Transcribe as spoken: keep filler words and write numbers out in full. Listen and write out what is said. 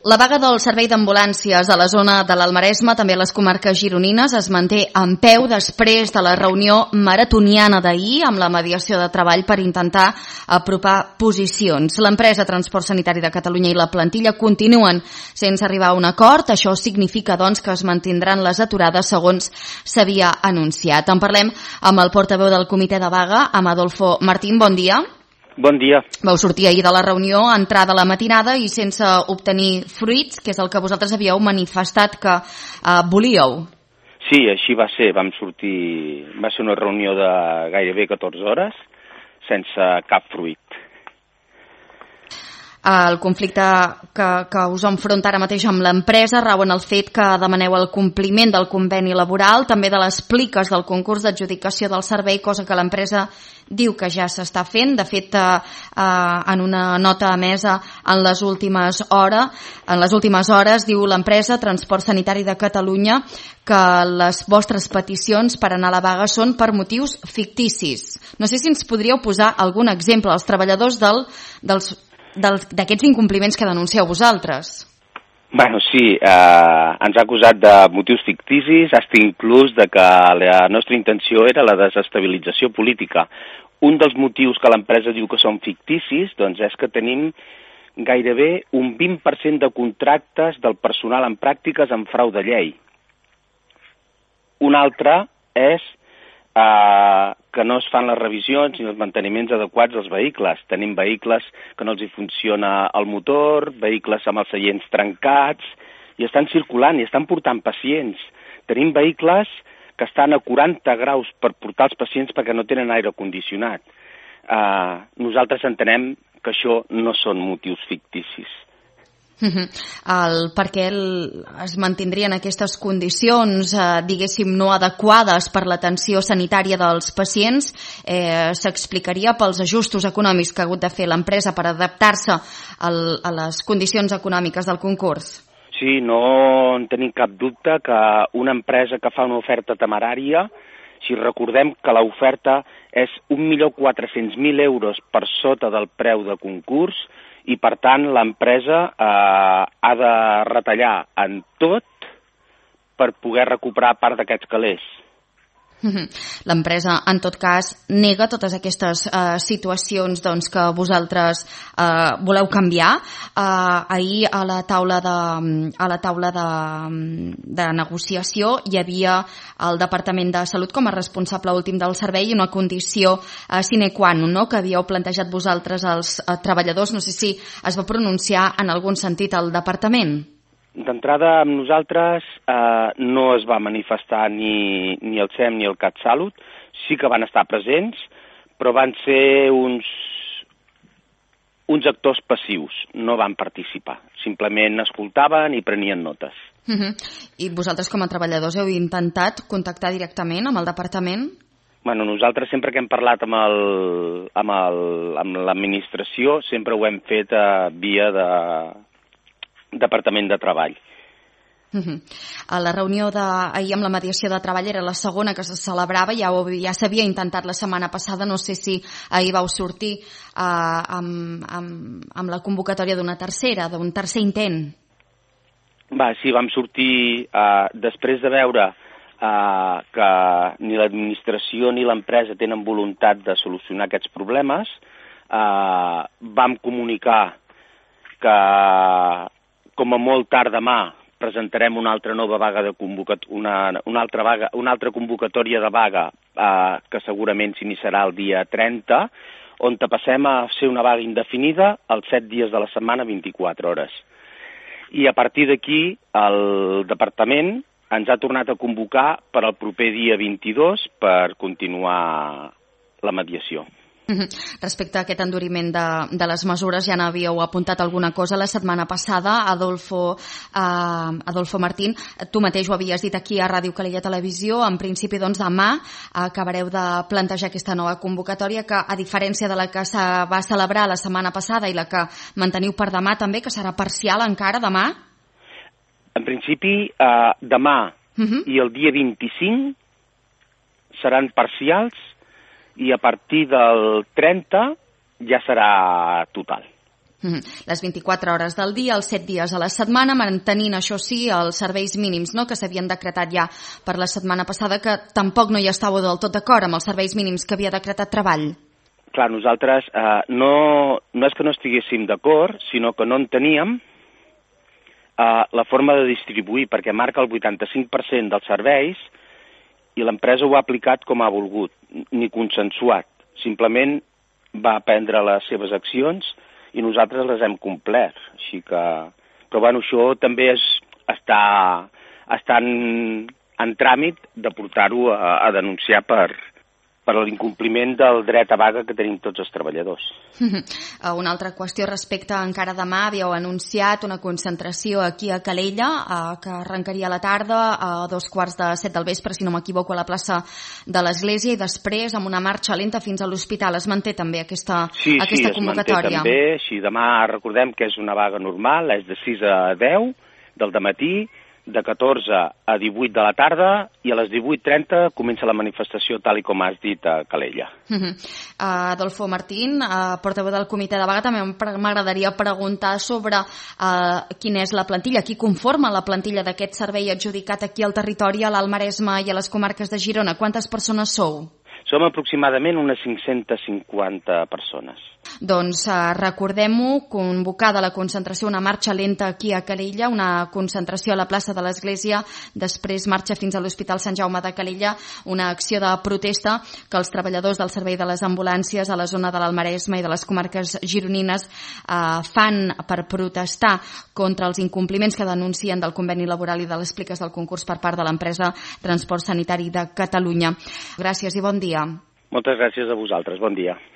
La vaga del servei d'ambulàncies a la zona de l'Almaresme, també a les comarques gironines, es manté en peu després de la reunió maratoniana d'ahir amb la mediació de treball per intentar apropar posicions. L'empresa Transport Sanitari de Catalunya i la plantilla continuen sense arribar a un acord. Això significa, doncs, que es mantindran les aturades segons s'havia anunciat. En parlem amb el portaveu del comitè de vaga, amb Adolfo Martín. Bon dia. Bon dia. Vau sortir ahir de la reunió, entrada a la matinada i sense obtenir fruits, que és el que vosaltres havíeu manifestat que eh, volíeu. Sí, així va ser. Vam sortir... Va ser una reunió de gairebé catorze hores sense cap fruit. El conflicte que, que us enfronta ara mateix amb l'empresa rau en el fet que demaneu el compliment del conveni laboral, també de les pliques del concurs d'adjudicació del servei, cosa que l'empresa diu que ja s'està fent. De fet, eh, en una nota emesa en les últimes hores, en les últimes hores diu l'empresa Transport Sanitari de Catalunya que les vostres peticions per anar a la vaga són per motius ficticis. No sé si ens podríeu posar algun exemple als treballadors del, dels d'aquests incompliments que denuncieu vosaltres. Bueno, sí, eh, ens ha acusat de motius ficticis, hasta inclús de que la nostra intenció era la desestabilització política. Un dels motius que l'empresa diu que són ficticis, doncs és que tenim gairebé un vint per cent de contractes del personal en pràctiques en frau de llei. Un altre és Uh, que no es fan les revisions ni els manteniments adequats dels vehicles. Tenim vehicles que no els hi funciona el motor, vehicles amb els seients trencats, i estan circulant i estan portant pacients. Tenim vehicles que estan a quaranta graus per portar els pacients perquè no tenen aire condicionat. Uh, nosaltres entenem que això no són motius ficticis. El, per què el, es mantindrien aquestes condicions, eh, diguéssim, no adequades per l'atenció sanitària dels pacients, eh, s'explicaria pels ajustos econòmics que ha hagut de fer l'empresa per adaptar-se al, a les condicions econòmiques del concurs? Sí, no en tenim cap dubte que una empresa que fa una oferta temerària, si recordem que l'oferta és un milió quatre-cents mil euros per sota del preu de concurs, i, per tant, l'empresa eh, ha de retallar en tot per poder recuperar part d'aquests calés. L'empresa, en tot cas, nega totes aquestes eh, situacions doncs, que vosaltres eh, voleu canviar. Eh, ahir a la taula de, a la taula de, de negociació hi havia el Departament de Salut com a responsable últim del servei i una condició eh, sine qua non, no?, que havíeu plantejat vosaltres als eh, treballadors. No sé si es va pronunciar en algun sentit al departament. D'entrada, amb nosaltres eh, no es va manifestar ni, ni el S E M ni el CatSalut. Sí que van estar presents, però van ser uns, uns actors passius, no van participar. Simplement escoltaven i prenien notes. Uh -huh. I vosaltres, com a treballadors, heu intentat contactar directament amb el departament? Bueno, nosaltres sempre que hem parlat amb el, amb el, amb l'administració sempre ho hem fet eh, via de Departament de Treball. Uh-huh. A la reunió d'ahir amb la mediació de treball era la segona que se celebrava, ja, ja s'havia intentat la setmana passada, no sé si ahir vau sortir uh, amb, amb, amb la convocatòria d'una tercera, d'un tercer intent. Va, sí, vam sortir uh, després de veure uh, que ni l'administració ni l'empresa tenen voluntat de solucionar aquests problemes. Uh, vam comunicar que com a molt tard demà presentarem una altra nova vaga de convocat una, una, altra vaga, una altra convocatòria de vaga eh, que segurament s'iniciarà el dia trenta, on passem a ser una vaga indefinida els set dies de la setmana, vint-i-quatre hores. I a partir d'aquí el departament ens ha tornat a convocar per al proper dia vint-i-dos per continuar la mediació. Respecte a aquest enduriment de, de les mesures, ja n'havíeu apuntat alguna cosa la setmana passada, Adolfo, eh, Adolfo Martín, tu mateix ho havies dit aquí a Ràdio Calella Televisió, en principi doncs demà acabareu de plantejar aquesta nova convocatòria que, a diferència de la que se va celebrar la setmana passada i la que manteniu per demà també, que serà parcial encara demà? En principi, eh, demà uh -huh. i el dia vint-i-cinc seran parcials i a partir del trenta ja serà total. Les vint-i-quatre hores del dia, els set dies a la setmana, mantenint, això sí, els serveis mínims, no?, que s'havien decretat ja per la setmana passada, que tampoc no hi estàveu del tot d'acord amb els serveis mínims que havia decretat Treball. Clar, nosaltres eh, no, no és que no estiguéssim d'acord, sinó que no en teníem eh, la forma de distribuir, perquè marca el vuitanta-cinc per cent dels serveis i l'empresa ho ha aplicat com ha volgut, ni consensuat. Simplement va prendre les seves accions i nosaltres les hem complert. Així que... Però bueno, això també és, està, està en, en tràmit de portar-ho a, a denunciar per, per l'incompliment del dret a vaga que tenim tots els treballadors. Una altra qüestió respecte a encara demà, havíeu anunciat una concentració aquí a Calella, eh, que arrencaria a la tarda a dos quarts de set del vespre, si no m'equivoco, a la plaça de l'Església, i després amb una marxa lenta fins a l'hospital. Es manté també aquesta, sí, aquesta sí, convocatòria? Sí, es manté també. Així, demà recordem que és una vaga normal, és de sis a deu del dematí, de catorze a divuit de la tarda, i a les divuit trenta comença la manifestació, tal i com has dit, a Calella. Uh -huh. uh, Adolfo Martín, uh, portaveu del comitè de vaga, també m'agradaria preguntar sobre uh, quina és la plantilla, qui conforma la plantilla d'aquest servei adjudicat aquí al territori, a l'Alt Maresme i a les comarques de Girona. Quantes persones sou? Som aproximadament unes cinc-centes cinquanta persones. Doncs eh, recordem-ho, convocada la concentració, una marxa lenta aquí a Calella, una concentració a la plaça de l'Església, després marxa fins a l'Hospital Sant Jaume de Calella, una acció de protesta que els treballadors del servei de les ambulàncies a la zona de l'Alt Maresme i de les comarques gironines eh, fan per protestar contra els incompliments que denuncien del conveni laboral i de les pliques del concurs per part de l'empresa Transport Sanitari de Catalunya. Gràcies i bon dia. Moltes gràcies a vosaltres. Bon dia.